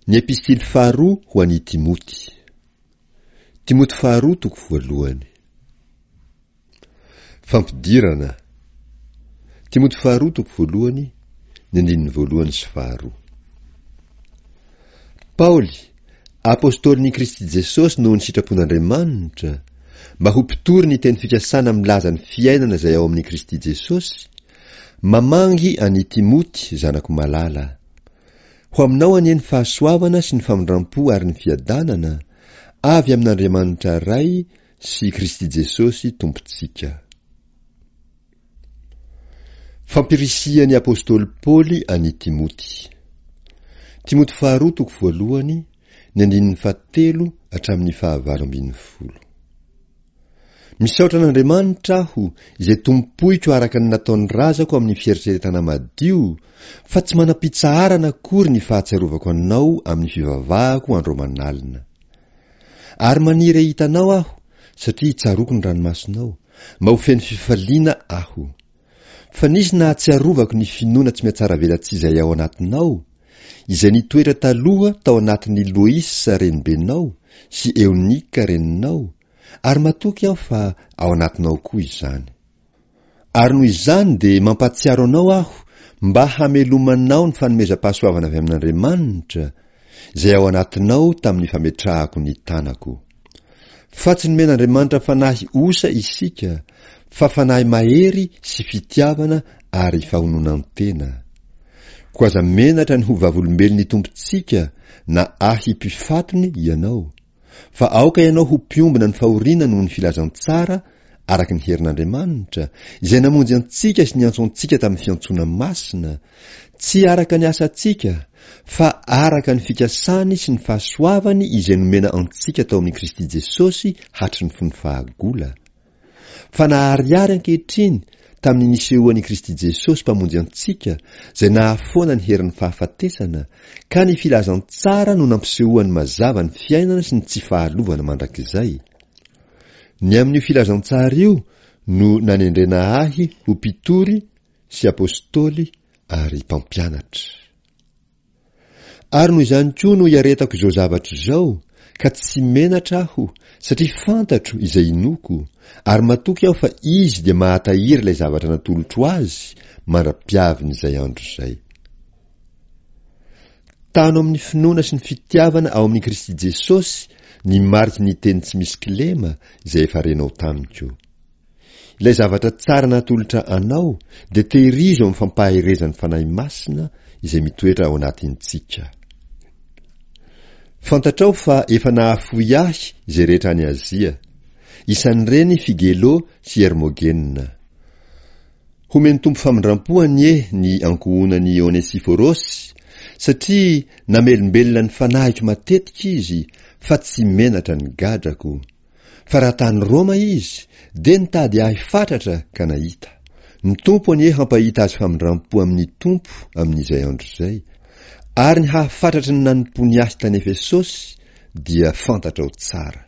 Ny Epistily faharoa ho an'i Timoty. Timoty faharoa toko voalohany. Fampidirana. Timoty faharoa toko voalohany, ny andininy voalohany sy faharoa. Paoly, apostolin'i Kristy Jesosy noho ny sitrapon'Andriamanitra, mba ho mpitory ny teny fikasana milaza ny fiainana izay ao amin'i Kristy Jesosy, mamangy an'i Timoty zanako malala. Ho aminao anie ny fahasoavana sy ny famindrampo ary ny fiadanana, avy amin'Andriamanitra Ray sy Kristy Jesosy Tompontsika. Fampirisihan'ny apostoly Paoly an'i Timoty. Timoty faharoa toko voalohany, ny andininy fahatelo hatramin'ny fahavalo ambin'ny folo. Misaotra an'Andriamanitra aho, izay tompoiko araka ny nataon'ny razako amin'ny fieritreretana madio, fa tsy manam-pitsaharana akory ny fahatsiarovako anao amin'ny fivavahako andro aman'alina. Ary maniry hahita anao aho, satria tsaroako ny ranomasonao, mba ho feno fifaliana aho. Fa nisy nahatsiarovako ny finoana tsy mihatsaravelatsihy izay ao anatinao, izay nitoetra taloha tao anatin'i Loisa renibenao sy Eonika reninao, ary matoky aho fa ao anatinao koa izany. Ary noho izany dia mampahatsiaro anao aho mba hamelomanao ny fanomezam-pahasoavana avy amin'Andriamanitra, izay ao anatinao tamin'ny fametrahako ny tanako. Fa tsy nomen'Andriamanitra fanahy osa isika, fa fanahy mahery sy fitiavana ary fahononan-tena. Koa aza menatra ny ho vavolombelon'ny Tompontsika na ahy mpifatony ianao, Fa aoka ianao ho mpiombona ny fahoriana noho ny filazantsara araka ny herin'Andriamanitra, izay namonjy antsika sy niantso antsika tamin'ny fiantsoana masina, tsy araka ny asantsika, fa araka ny fikasany sy ny fahasoavany izay nomena antsika tao amin'i Kristy Jesosy hatry ny fony fahagola. Fa naharihary ankehitriny tamin'ny nisehoan'i Kristy Jesosy Mpamonjy antsika, izay nahafoana ny herin'ny fahafatesana, ka ny filazantsara no nampisehoany mazava ny fiainana sy ny tsy fahalovana mandrakizay. Ny amin'io filazantsara io no nanendrena ahy ho mpitory sy apostoly ary mpampianatra. Ary noho izany koa no iaretako izao zavatra izao, ka tsy menatra aho, satria fantatro izay inoako, ary matoky aho fa Izy dia mahatahiry ilay zavatra natolotro Azy mandra-piavin'izay andro izay. Tano amin'ny finoana sy ny fitiavana ao amin'i Kristy Jesosy ny mariky ny teny tsy misy kilema izay efa renao tamiko. Ilay zavatra tsara natolotra anao dia tehirizo amin'ny fampaherezan'ny Fanahy Masina izay mitoetra ao anatintsika. Fantatrao fa efa nahafoy ahy izay rehetra any Azia, isan'ireny Figelo sy Hermogena. Homen'ny Tompo famindram-po anie ny ankohonan'i Onesiforosy, satria namelombelona ny fanahiko matetika izy fa tsy menatra ny gadrako. Fa raha tany Roma izy, dia nitady ahy fatratra ka nahita. Ny Tompo anie hampahita azy famindram-po amin'ny Tompo amin'izay andro izay. Ary ny hahafatratry ny nanompoany ahy tany Efesosy dia fantatrao tsara.